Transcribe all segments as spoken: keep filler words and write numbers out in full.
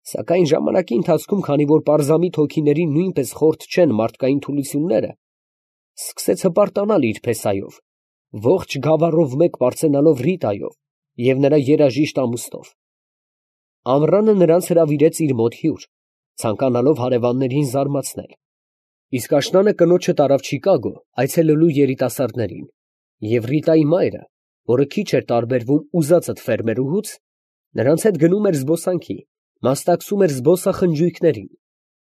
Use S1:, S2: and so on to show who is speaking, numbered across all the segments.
S1: Սակայն ժամանակի ընթացքում, քանի որ պարզամիտ հոգիներին նույնպես խորթ չեն մարդկային թուլությունները, սկսեց հպարտանալ իր փեսայով, ողջ գավառով մեկ պարծենալով Ռիտայով և նրա երաժիշտ ամուսնով։ Ամռանը նրանց հրավիրեց իր մոտ հյուր, ցանկանալով հարևաններին զարմացնել, իսկ աշնանը կնոջը տարավ Չիկագո այցելելու երիտասարդներին, և Ռիտայի մայրը, որը քիչ էր տարբերվում ուզածդ ֆերմերուհուց, նրանց հետ գնում էր զբոսանքի, մասնակցում էր զբոսախնջույքներին,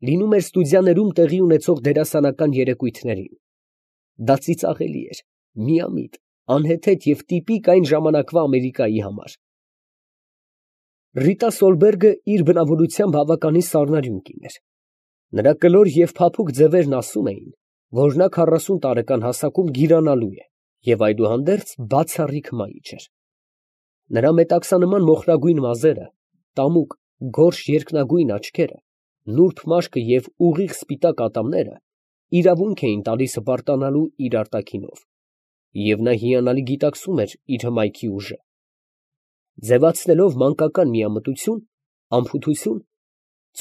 S1: լինում էր ստուդիաներում տեղի ունեցող դերասանական երեկույթներին։ Դա ծիծաղելի էր, միամիտ, անհեթեթ և տիպիկ այն ժամանակվա Ամերիկայի համար։ Ռիտա Սոլբերգը իր բնավորությամբ բավականին սառնարյուն կին էր։ Նրա կլոր և փափուկ ձևերն ասում էին, որ նա քառասուն տարեկան հասակում գիրանալու է և այդուհանդերձ բացառիկ մայիչ էր։ Նրա մետաքսանման մոխրագույն մազերը, տամուկ, գորշ երկնագույն աչքերը, նուրբ մաշկը և ուղիղ սպիտակ ատամները իրավունք էին տալիս հպարտանալու իր արտաքինով, և նա հիանալի գիտակցում էր իր հմայքի ուժը։ Ձևացնելով մանկական միամտություն, անփութություն,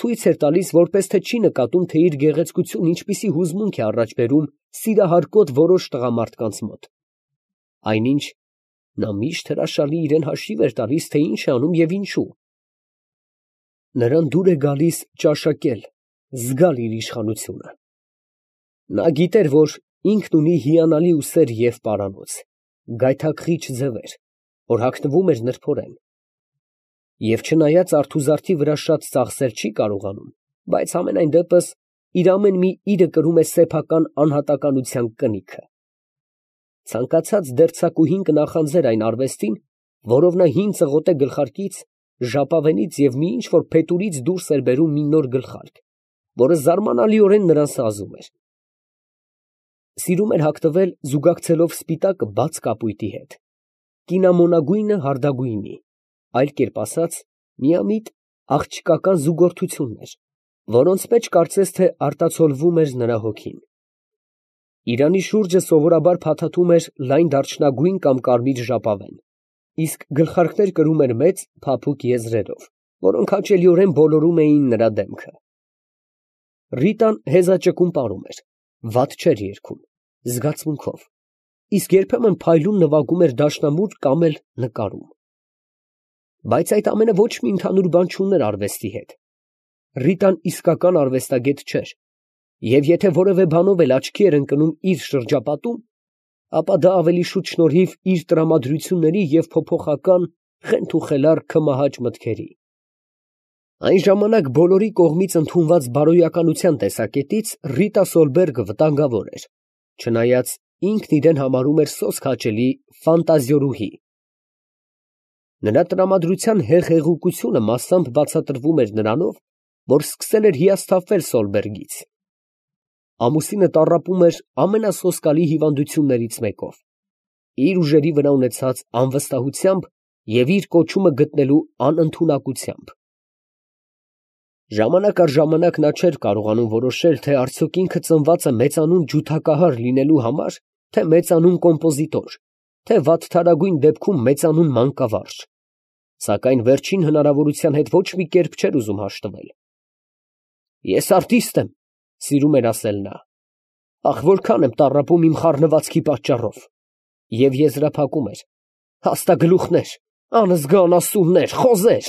S1: ցույց էր տալիս, որպես թե չի նկատում, թե իր գեղեցկությունը ինչպիսի հուզմունք է առաջ բերում սիրահարկոտ որոշ տղամարդկանց մոտ, այնինչ նա միշտ հրաշալի իրան հաշիվ էր տալիս, թե ինչ է անում և ինչու։ Նրան դուր է գալիս ճաշակել, զգալ իր իշխանությունը։ Նա գիտեր, որ ինքն ունի հիանալի ուսեր և պարանոց, գայթակղիչ ձևեր, որ հագնվում էր նրբորեն, և չնայած արթուզարդի վրա շատ ծախսել չի կարողանում, բայց համենայն դեպս իր ամեն մի իրը կրում է սեփական անհատականության կնիքը։ Ցանկացած դերձակուհին կնախանձեր այն արվեստին, որով նա հին ծղոթե գլխարկից, ժապավենից և մի ինչ֊որ փետուրից դուրս էր բերում մի նոր գլխարկ, որը զարմանալիորեն նրան սազում էր։ Սիրում էր հագնվել զուգակցելով սպիտակը բաց կապույտի հետ, կինամոնագույնը հարդագույնի, այլ կերպ ասած, միամիտ աղջկական զուգորդություններ, որոնց մեջ կարծես թե արտացոլվում էր նրա հոգին։ Իրանի շուրջը սովորաբար փաթաթում էր լայն դարչնագույն կամ կարմիր ժապավեն, իսկ գլխարկներ կրում էր մեծ, փափուկ եզրերով, որոնք հաճելիորեն բոլորում էին նրա դեմքը։ Ռիտան հեզաճկուն պարում էր, վատ չէր երգում, զգացմունքով, իսկ երբեմն փայլուն նվագում էր դաշնամուր կամ էլ նկարում։ Բայց այդ ամենը ոչ մի ընդհանուր բան չուներ արվեստի հետ։ Ռիտան իսկական արվեստագետ չէր, և եթե որևէ բանով էլ աչքի էր ընկնում իր շրջապատում, ապա դա ավելի շուտ շնորհիվ իր տրամադրությունների և փոփոխական, խենթուխելառ քմահաճ մտքերի։ Այն ժամանակ բոլորի կողմից ընդունված բարոյականության տեսակետից Ռիտա Սոլբերգը վտանգավոր էր, չնայած ինքն իրեն համարում էր սոսկ հաճելի ֆանտազիորուհի։ Նրա տրամադրության հեղեղուկությունը մասամբ բացատրվում էր նրանով, որ սկսել էր հիասթափվել Սոլբերգից։ Ամուսինը տառապում էր ամենասոսկալի հիվանդություններից մեկով, իր ուժերի վրա ունեցած անվստահությամբ և իր կոչումը գտնելու անընդունակությամբ։ Ժամանակ առ ժամանակ նա չէր կարողանում որոշել, թե արդյոք ինքը ծնված է մեծանուն ջութակահար լինելու համար, թե մեծանուն կոմպոզիտոր, թե վատթարագույն դեպքում մեծանուն մանկավարժ, սակայն վերջին հնարավորության հետ ոչ մի կերպ չէր ուզում հաշտվել։ «Ես արտիստ եմ», ֊ սիրում էր ասել նա, «ախ, որքան եմ տառապում իմ խառնվածքի պատճառով», և եզրափակում էր. «Հաստագլուխներ, անզգան ասուններ, խոզեր»։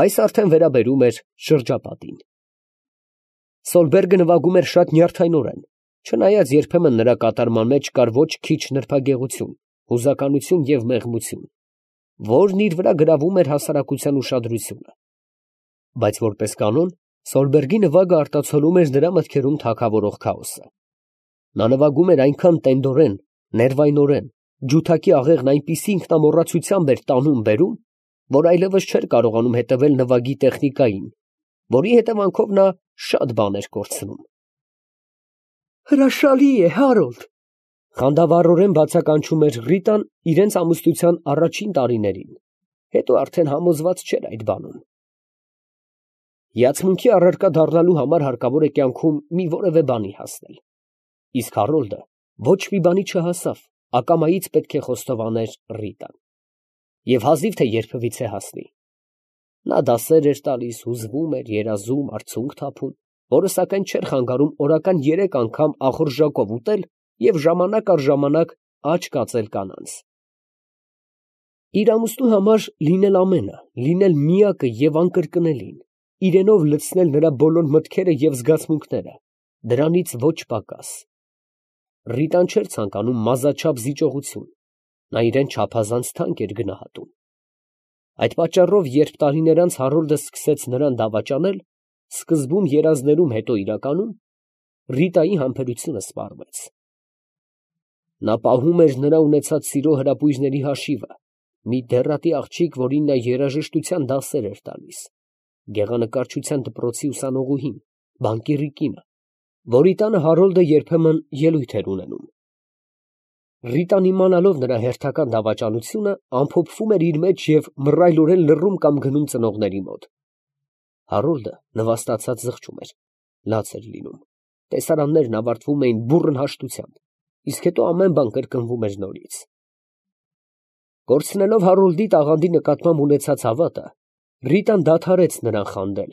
S1: Այս արդեն վերաբերում էր շրջապատին։ Սոլբերգը նվագում էր շատ նյարդայնորեն, չնայած երբեմն նրա կատարման մեջ կար ոչ քիչ նրբագեղություն, հուզականություն և մեղմություն, որն իր վրա գրավում էր հասարակության ուշադրությունը։ Բայց որպես կանոն, Սոլբերգի նվագը արտացոլում էր նրա մտքերում թագավորող քաոսը։ Նա նվագում էր այնքան տենդորեն, ներվայնորեն, ջութակի աղեղն այնպիսի ինքնամոռացությամբ էր տանում֊բերում, որ այլևս չէր կարողանում հետևել նվագի տեխնիկային, որի հետևանքով նա շատ բան էր կորցնում։ «Հրաշալի է, Հարոլդ», ֊ խանդավառորեն բացականչում էր Ռիտան իրենց ամուսնության առաջին տարիներին, հետո արդեն համոզված չէր այդ բանում։ Հիացմունքի առարկա դառնալու համար հարկավոր է կյանքում մի որևէ բանի հասնել, իսկ Հարոլդը ոչ մի բանի չհասավ, ակամայից պետք է խոստովաներ Ռիտան, և հազիվ թե երբևիցե հասնի։ Նա դասեր էր տալիս, հուզվում էր, երազում, արցունք թափում, որը սակայն չէր խանգարում օրական երեք անգամ ախորժակով ուտել և ժամանակ առ ժամանակ աջ կացել կանանց։ Իր ամուսնու համար լինել ամենը, լինել միակը և անկրկնելին, իրենով լցնել նրա բոլոր մտքերը և զգացմունքները, դրանից ոչ պակաս։ Ռիտան չէր ցանկանում մազաչափ զիջողություն, նա իրան չափազանց թանկ էր գնահատում։ Այդ պատճառով, երբ տարիներ անց Հարոլդը սկսեց նրան դավաճանել, սկզբում երազներում, հետո իրականում, Ռիտայի համբերությունը սպառվեց։ Նա պահում էր նրա ունեցած սիրո հրապույրների հաշիվը, մի դեռատի աղջիկ, որին նա երաժշտության դասեր էր տալիս, գեղանկարչության դպրոցի ուսանողուհին, բանկիրի կինը, որի տանը Հարոլդը երբեմն ելույթ էր ունենում։ Ռիտան, իմանալով նրա հերթական դավաճանությունը, ամփոփվում էր իր մեջ և մռայլորեն լռում կամ գնում ծնողների մոտ։ Հարոլդը նվաստացած զղջում էր, լաց էր լինում, տեսարաններն ավարտվում էին բուռն հաշտությամբ, իսկ հետո ամեն բան կրկնվում էր նորից։ Կորցնելով Հարոլդի տաղանդի նկատմամբ ունեցած հավատը, Ռիտան դադարեց նրան խանդել,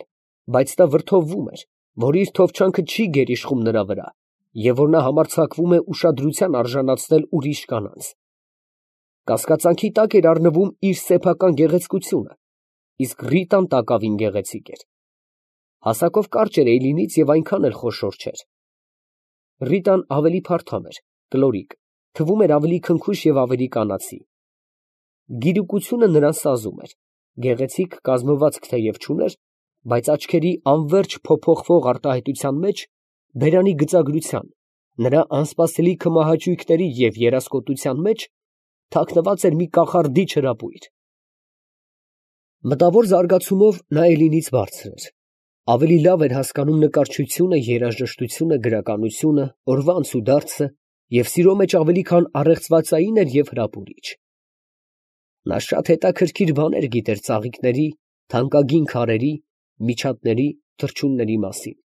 S1: բայց նա վրդովվում էր, որ իր թովչանքը չի գերիշխում նրա վրա, և որ նա համարձակվում է ուշադրության արժանացնել ուրիշ կանանց։ Կասկածանքի տակ էր առնվում իր սեփական գեղեցկությունը, իսկ Ռիտան տակավին գեղեցիկ էր։ Հասակով կարճ էր Էյլինից և այնքան էլ խոշոր չէր։ Ռիտան ավելի փարթամ էր, կլորիկ, թվում էր ավելի քնքուշ և ավելի կանացի։ Գիրուկությունը նրան սազում էր, գեղեցիկ կազմվածք թեև չուներ, բայց աչքերի անվերջ փոփոխվող արտահայտության մեջ, բերանի գծագրության, նրա անսպասելի քմահաճույքների և երասկոտության մեջ թաքնված էր մի կախարդիչ հրապույր։ Մտավոր զարգացումով նա Էլինից բարձր էր, ավելի լավ էր հասկանում նկարչությունը, երաժշտությունը, գրականությունը, օրվա անցուդարձը և սիրո մեջ ավելի քան առեղծվածային էր և հրապուրիչ։ Նա շատ հետաքրքիր բաներ գիտեր ծաղիկների, թանկագին քարերի, միջատների, թռչունների մասին։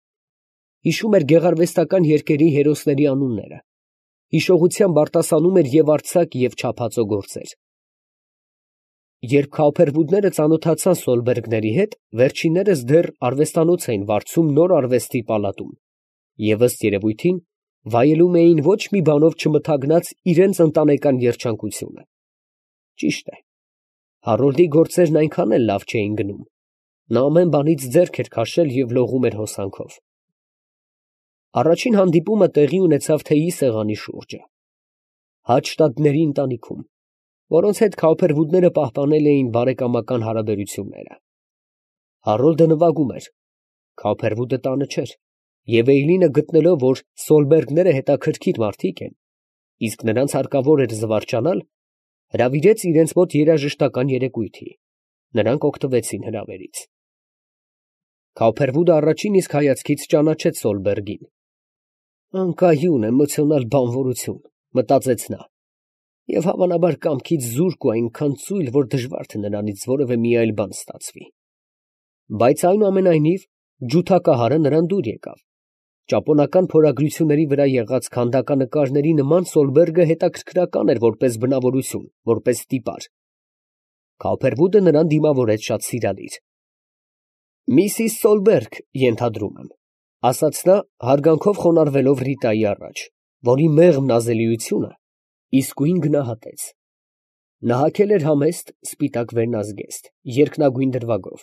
S1: Հիշում էր գեղարվեստական երգերի հերոսների անունները, հիշողությամբ արտասանում էր և արձակ, և չափածո գործեր։ Երբ Քաուփերվուդները ծանոթացան Սոլբերգների հետ, վերջիններս դեռ արվեստանոց էին վարձում նոր արվեստի պալատում և, ըստ երևույթին, վայելում էին ոչ մի բանով չմթագնած իրանց ընտանեկան երջանկությունը։ Ճիշտ է, Հարոլդի գործերն այնքան էլ լավ չէին գնում, նա ամեն բանից ձեռք էր քաշել և լողում էր հոսանքով։ Առաջին հանդիպումը տեղի ունեցավ թեյի սեղանի շուրջը, Հադշտադների ընտանիքում, որոնց հետ Քաուփերվուդները պահպանել էին բարեկամական հարաբերությունները։ Հարոլդը նվագում էր, Քաուփերվուդը տանը չէր, և Էյլինը գտնելով, որ Սոլբերգները հետաքրքիր մարդիկ են, իսկ նրանց հարկավոր էր զվարճանալ, հրավիրեց իրենց մոտ երաժշտական երեկույթի, նրանք օգտվեցին հրավերից։ Քաուփերվուդը առաջին իսկ հայացքից ճանաչեց Սոլբերգին։ «Անկայուն, էմոցիոնալ բանվորություն», մտածեց նա, և հավանաբար կամքից զուրկ ու այնքան ծույլ, որ դժվար թե նրանից որևէ մի այլ բան ստացվի։ Բայց այնուամենայնիվ ջութակահարը նրան դուր եկավ։ Ճապոնական փորագրությունների վրա եղած քանդականկարների նման Սոլբերգը հետաքրքրական էր որպես բնավորություն, որպես տիպար։ Քաուփերվուդը նրան դիմավորեց շատ սիրալիր։ «Միսիս Սոլբերգ, ենթադրում եմ», ֊ ասաց նա, հարգանքով խոնարհվելով Ռիտայի առաջ, որի մեղմ նազելիությունը իսկույն գնահատեց։ Նա հագել էր համեստ, սպիտակ վերնազգեստ, երկնագույն դրվագով,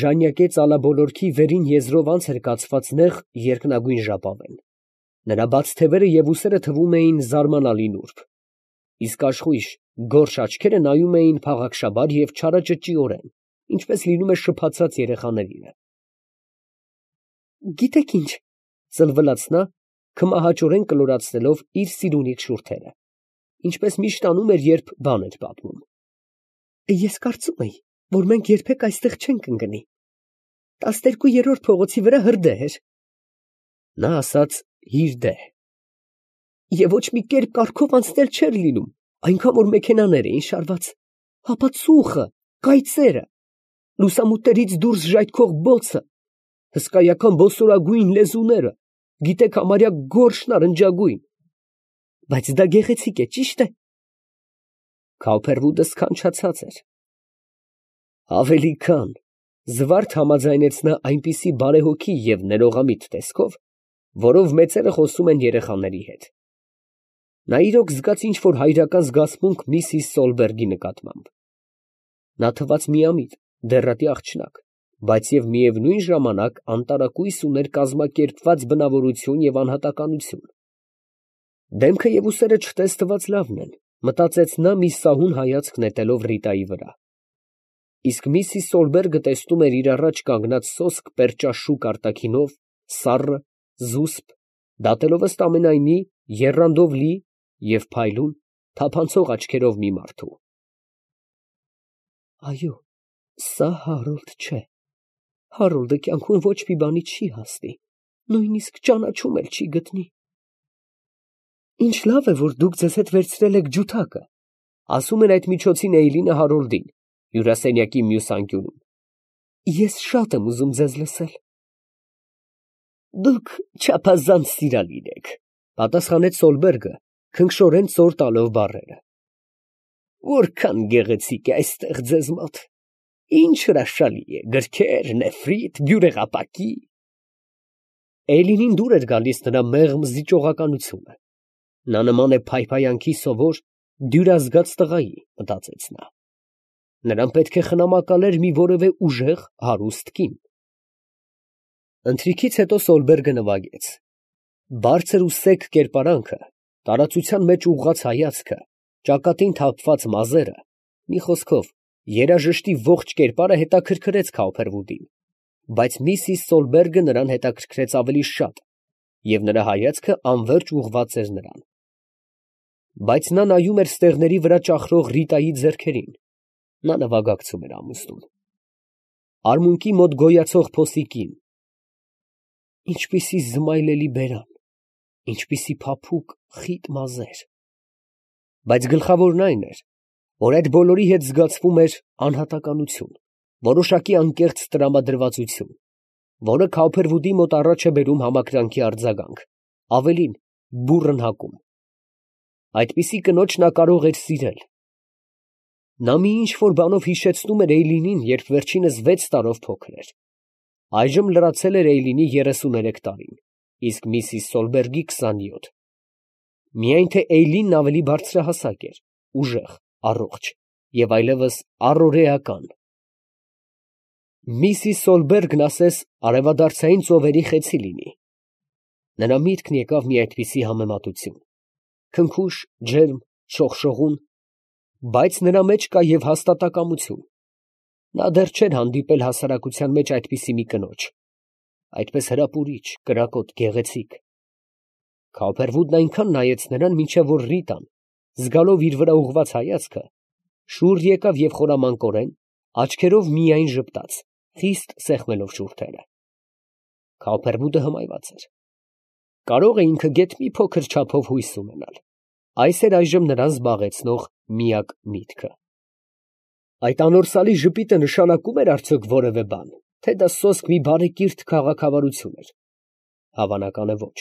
S1: ժանյակե ծալաբոլորքի վերին եզրով անց էր կացված նեղ երկնագույն ժապավեն։ Նրա բաց թևերը և ուսերը թվում էին զարմանալի նուրբ, իսկ աշխույժ, գորշ աչքերը նայում էին փաղաքշաբար և չարաճճիորեն, ինչպես լինում է շփացած երեխաներինը։ «Գիտեք ինչ, ֊ ծլվլաց նա, քմահաճորեն կլորացնելով իր սիրունիկ շուրթերը, ինչպես միշտ անում էր, երբ բան էր պատմում, ֊ ես կարծում էի, որ մենք երբեք այստեղ չենք ընկնի. տասներկուերորդ փողոցի վրա հրդեհ էր» (նա ասաց հիրդեհ) «և ոչ մի կերպ կառքով անցնել չէր լինում, այնքան որ մեքենաներ էին շարված, հապա ծուխը, կայծերը, լուսամուտներից դուրս ժայթքող բոցը, հսկայական բոսորագույն լեզուները, գիտեք, համարյա գորշ նարնջագույն… Բայց դա գեղեցիկ է, ճի՞շտ է»։ Քաուփերվուդը սքանչացած էր։ «Ավելի քան, Զվարթ համաձայնեց նա այնպիսի բարեհոգի և ներողամիտ տեսքով, որով մեծերը խոսում են երեխաների հետ։ Նա իրոք զգաց ինչ֊որ հայրական զգացմունք միսիս Սոլբերգի նկատմամբ։ Նա թվաց միամիտ, դեռատի աղջնակ, բայց և միևնույն ժամանակ անտարակույս ուներ կազմակերպված բնավորություն և անհատականություն։ Դեմքը և ուսերը չտեսնված լավն են, մտածեց նա մի սահուն հայացք նետելով Ռիտայի վրա։ Իսկ միսիս Սոլբերգը տեսնում էր իր առաջ կանգնած սոսկ պերճաշուք արտաքինով, սառը, զուսպ, դատելով ըստ ամենայնի եռանդով լի և փայլուն, թափանցող աչքերով մի մարդու։ Այո, սա Հարոլդ չէ, Հարոլդը կյանքում ոչ մի բանի չի հասնի, նույնիսկ ճանաչում էլ չի գտնի։ Ինչ լավ է, որ դուք ձեզ հետ վերցրել եք ջութակը, ասում էր այդ միջոցին Էյլինը Հարոլդին, հյուրասենյակի մյուս անկյունում։ Ես շատ եմ ուզում ձեզ լսել։ Դուք չափազանց սիրալիր եք, պատասխանեց Սոլբերգը, քնքշորեն ծոր տալով բառերը։ Որքան գեղեցիկ է այստեղ ձեզ մոտ, ինչ հրաշալի է, գրքեր, նեֆրիտ, բյուրեղապակի։ Էյլինին դուր էր գալիս նրա մեղմ զիջողականությունը։ Նա նման է փայփայանքի սովոր, դյուրազգաց տղայի, մտածեց նա։ Նրան պետք է խնամակալեր մի որևէ ուժեղ, հարուստ կին։ Ընթրիքից հետո Սոլբերգը նվագեց։ Բարձր ու սեկ կերպարանքը, տարածության մեջ ուղղած հայացքը, ճակատին թափված մազերը, մի խոսքով, երաժշտի ողջ կերպարը հետաքրքրեց Քաուփերվուդին, բայց միսիս Սոլբերգը նրան հետաքրքրեց ավելի շատ, և նրա հայացքը անվերջ ուղղված էր նրան։ Բայց նա նայում էր ստեղների վրա ճախրող Ռիտայի ձեռքերին, նա նվագակցում էր ամուսնուն։ Արմունկի մոտ գոյացող փոսի կին։ Ինչպիսի զմայլելի բերան, ինչպիսի փափուկ, խիտ մազեր։ Բայց գլխավորն այն էր, որ այդ բոլորի հետ զգացվում էր անհատականություն, որոշակի անկեղծ տրամադրվածություն, որը Քաուփերվուդի մոտ առաջ է բերում համակրանքի արձագանք, ավելին, բուռն հակում։ Այդպիսի կնոջ նա կարող էր սիրել։ Նա մի ինչ֊որ բանով հիշեցնում էր Էյլինին, երբ վերջինս վեց տարով փոքր էր։ Այժմ լրացել էր Էյլինի երեսուներեք տարին, իսկ միսիս Սոլբերգի քսանյոթ։ Միայն թե Էյլինն ավելի բարձրահասակ էր, ուժեղ, առողջ և այլևս առօրեական։ Միսիս Սոլբերգն ասես արևադարձային ծովերի խեցի լինի։ Նրա միտքն եկավ մի այդպիսի համեմատություն, քնքուշ, ջերմ, շողշողուն, բայց նրա մեջ կա և հաստատակամություն։ Նա դեռ չէր հանդիպել հասարակության մեջ այդպիսի մի կնոջ, այդպես հրապուրիչ, կրակոտ, գեղեցիկ։ Քաուփերվուդն այնքան նայեց նրան, մինչև որ Ռիտան, զգալով իր վրա ուղղված հայացքը, շուռ եկավ և խորամանկորեն, աչքերով միայն ժպտաց, խիստ սեղմելով շուրթերը։ Քաուփերվուդը հմայված էր։ Կարող է ինքը գեթ մի փոքր չափով հույս ունենալ։ Այս էր այժմ նրան զբաղեցնող միակ միտքը։ Այդ անորսալի ժպիտը նշանակում էր արդյոք որևէ բան, թե դա սոսկ մի բարեկիրթ քաղաքավարություն էր։ Հավանական է ոչ։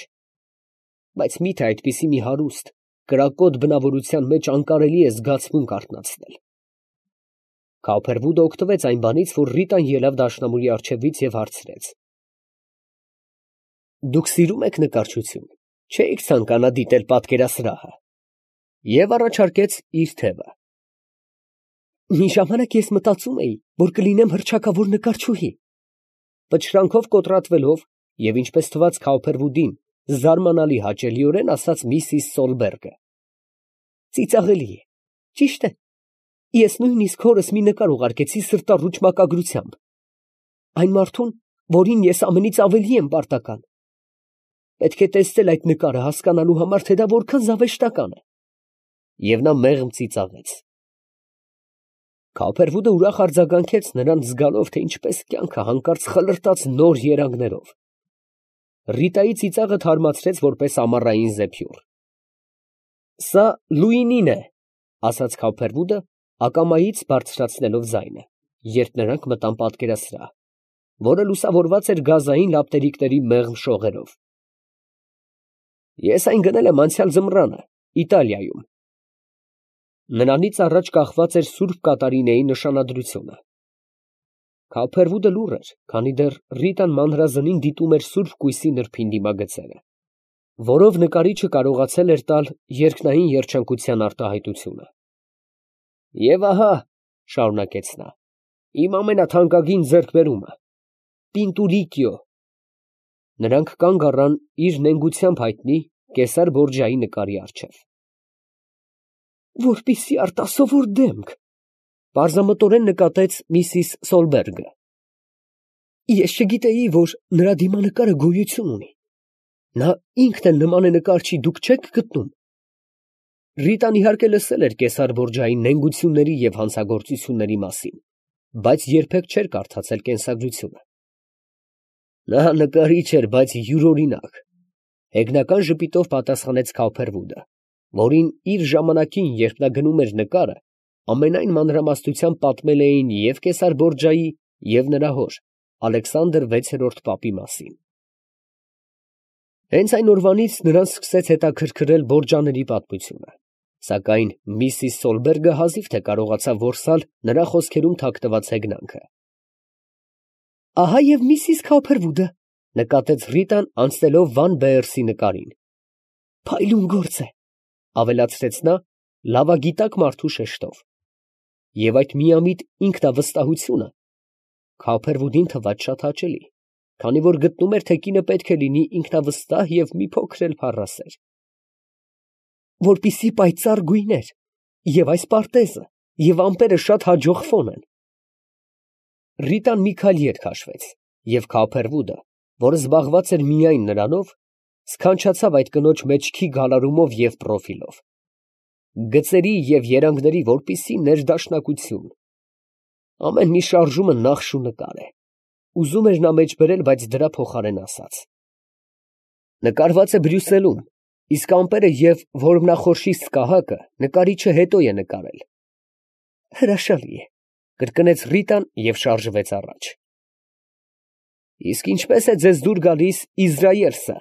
S1: Բայց մի՞թե այդպիսի մի հարուստ, կրակոտ բնավորության մեջ անկարելի է զգացմունք արթնացնել։ Քաուփերվուդը օգտվեց այն բանից, որ Ռիտան ելավ դաշնամուրի առջևից և հարցրեց. Դուք սիրում եք նկարչություն, չէիք ցանկանա դիտել պատկերասրահը, և առաջարկեց իր թևը։ Մի ժամանակ ես մտածում էի, որ կլինեմ հռչակավոր նկարչուհի, պչրանքով կոտրատվելով և ինչպես թվաց Քաուփերվուդին, զարմանալի հաճելիորեն ասաց միսիս Սոլբերգը։ Ծիծաղելի է, ճիշտ է, ես նույնիսկ հորս մի նկար ուղարկեցի սրտառուչ մակագրությամբ, այն մարդուն, որին ես ամենից ավելի եմ պարտական։ Պետք է տեսնել այդ նկարը հասկանալու համար, թե դա որքան զավեշտական է։ Եվ նա մեղմ ծիծաղեց։ Քաուփերվուդը ուրախ արձագանքեց նրան, զգալով, թե ինչպես կյանքը հանկարծ խլրտաց նոր երանգներով։ Ռիտայի ծիծաղը թարմացրեց որպես ամառային զեփյուռ։ Սա Լուինին է, ասաց Քաուփերվուդը, ակամայից բարձրացնելով ձայնը, երբ նրանք մտան պատկերասրահ, որը լուսավորված էր գազային լապտերիկների մեղմ շողերով։ Ես այն գնել եմ անցյալ ձմռանը, Իտալիայում։ Նրանից առաջ կախված էր Սուրբ Կատարինեի նշանադրությունը։ Քավփերվուդը լուռ էր, քանի դեռ Ռիտան մանրազնին դիտում էր սուրբ կույսի նրբին դիմագծերը, որով նկարիչը կարողացել էր տալ երկնային երջանկության արտահայտությունը։ Եվ ահա, շարունակեց նա, իմ ամենաթանկագին ձեռքբերումը, Պինտուրիկիո։ Նրանք կանգ առան իր նենգությամբ հայտնի Կեսար Բորջայի նկարի առջև։ Որպիսի արտասովոր դեմք, պարզամտորեն նկատեց միսիս Սոլբերգը։ Ես չգիտեի, որ նրա դիմանկարը գոյություն ունի։ Նա ինքն էլ նման է նկարչի, դուք չեք գտնում։ Ռիտան իհարկե լսել էր Կեսար Բորջայի նենգությունների և հանցագործությունների մասին, բայց երբեք չէր կարդացել կենսագրությունը։ Նա նկարիչ էր, բայց յուրօրինակ, հեգնական ժպիտով պատասխանեց Քավփերվուդը, որին իր ժամանակին, երբ նա գնում էր նկարը, ամենայն մանրամասնությամբ պատմել էին և Կեսար Բորջայի, և նրա հոր, Ալեքսանդր վեցերորդ պապի մասին։ Հենց այն օրվանից նրան սկսեց հետաքրքրել Բորջաների պատմությունը, սակայն միսիս Սոլբերգը հազիվ թե կարողացավ որսալ նրա խոսքերում թաքնված հեգնանքը։ Ահա և միսիս Քավփերվուդը, նկատեց Ռիտան, անցնելով Վան Բեերսի նկարին։ Փայլուն գործ է, ավելացրեց նա լավագիտակ մարդու շեշտով։ Եվ այդ միամիտ ինքնավստահությունը Քավփերվուդին թվաց շատ հաճելի, քանի որ գտնում էր, թե կինը պետք է լինի ինքնավստահ և մի փոքր էլ փառասեր։ Որպիսի պայծառ գույներ, և այս պարտեզը, և ամպերը շատ հաջող ֆոն են։ Ռիտան մի քայլ ետ քաշվեց, և Քավփերվուդը, որը զբաղված էր միայն նրանով, սքանչացավ այդ կնոջ մեջքի գալարումով և պրոֆիլով, գծերի և երանգների որպիսի ներդաշնակություն։ Ամեն մի շարժումը նախշ ու նկար է, ուզում էր նա մեջ բերել, բայց դրա փոխարեն ասաց. նկարված է Բրյուսելում, իսկ ամպերը և որմնախորշի սկահակը նկարիչը հետո է նկարել։ Հրաշալի է, կրկնեց Ռիտան և շարժվեց առաջ։ Իսկ ինչպես է ձեզ դուր գալիս Իզրայելսը։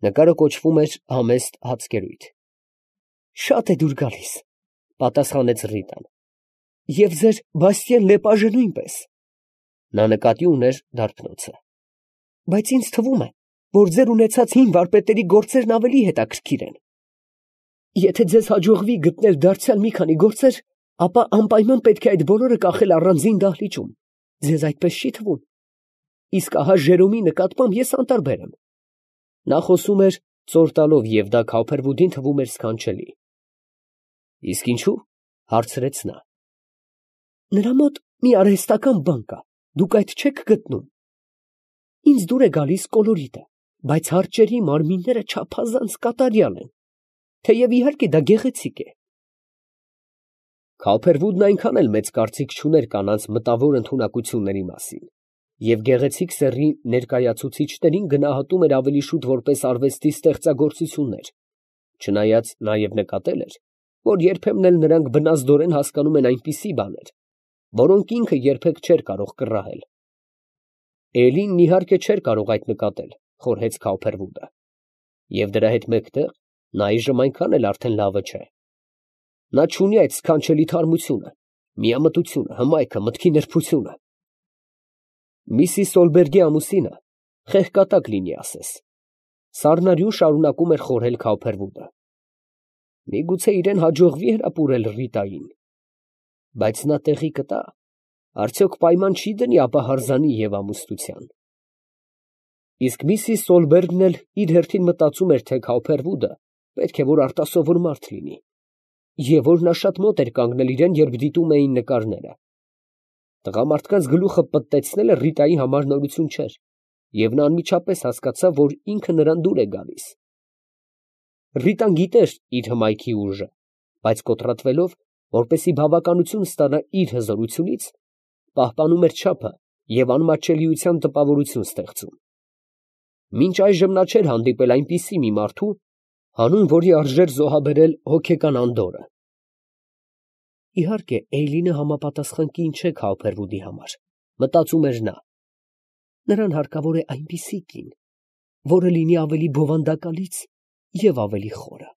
S1: Նկարը կոչվում էր Համեստ հացկերույթ։ Շատ է դուր գալիս, պատասխանեց Ռիտան։ Եվ ձեր Բաստիեն Լեպաժը նույնպես։ Նա նկատի ուներ դարբնոցը։ Բայց ինձ թվում է, որ ձեր ունեցած հին վարպետների գործերն ավելի հետաքրքիր են։ Եթե ձեզ հաջողվի գտնել դարձյալ մի քանի գործեր, ապա անպայման պետք է այդ բոլորը կախել առանձին դահլիճում։ Ձեզ այդպես չի թվում։ Իսկ ահա Ժերոմի նկատմամբ ես անտարբեր եմ։ Նա խոսում էր ծոր տալով, և դա Քավփերվուդին թվում էր սքանչելի։ Իսկ ինչու՞, հարցրեց նա։ Նրա մոտ մի արհեստական բան կա, դուք այդ չեք գտնում։ Ինձ դուր է գալիս կոլորիտը, բայց հարճերի մարմինները չափազանց կատարյալ են, թեև իհարկե դա գեղեցիկ է։ Քավփերվուդն այնքան էլ մեծ կարծիք չուներ կանանց մտավոր ընդունակությունների մասին, և գեղեցիկ սեռի ներկայացուցիչներին գնահատում էր ավելի շուտ որպես արվեստի ստեղծագործություններ, չնայած նաև նկատել էր, որ երբեմն էլ նրանք բնազդորեն հասկանում են այնպիսի բաներ, որոնք ինքը երբեք չէր կարող կռահել։ Էլին իհարկե չէր կարող այդ նկատել, խորհեց Քավփերվուդը, և դրա հետ մեկտեղ նա այժմ այնքան էլ արդեն լավը չէ։ Նա չունի այդ սքանչելի թարմությունը, միամտությունը, հմայքը, մտքի նրբությունը։ Միսիս Սոլբերգի ամուսինը խեղկատակ լինի ասես։ Սառնարյուն շարունակում էր խորհել Քավփերվուդը։ Միգուցե իրեն հաջողվի հրապուրել Ռիտային, բայց նա տեղի կտա, արդյոք պայման չի դնի ապահարզանի և ամուսնության։ Իսկ միսիս Սոլբերգն էլ իր հերթին մտածում էր, թե Քավփերվուդը պետք է որ արտասովոր մարդ լինի, և որ նա շատ մոտ էր կանգնել իրեն, երբ դիտում էին նկարները։ Տղամարդկանց գլուխը պտտեցնելը Ռիտայի համար նորություն չէր, և նա անմիջապես հասկացավ, որ ինքը նրան դուր է գալիս։ Ռիտան գիտեր իր հմայքի ուժը, բայց կոտրատվելով, որպեսզի բավականություն ստանա իր հզորությունից, պահպանում էր չափը և անմատչելիության տպավորություն ստեղծում։ Մինչ այժմ նա չէր հանդիպել այնպիսի մի մարդու, հանուն որի արժեր զոհաբերել հոգեկան անդորրը։ Իհարկե, Էյլինը համապատասխան կին չէ Քավփերվուդի համար, մտածում էր նա։ Նրան հարկավոր է այնպիսի կին, որը լինի ավելի բովանդակալից և ավելի խորը։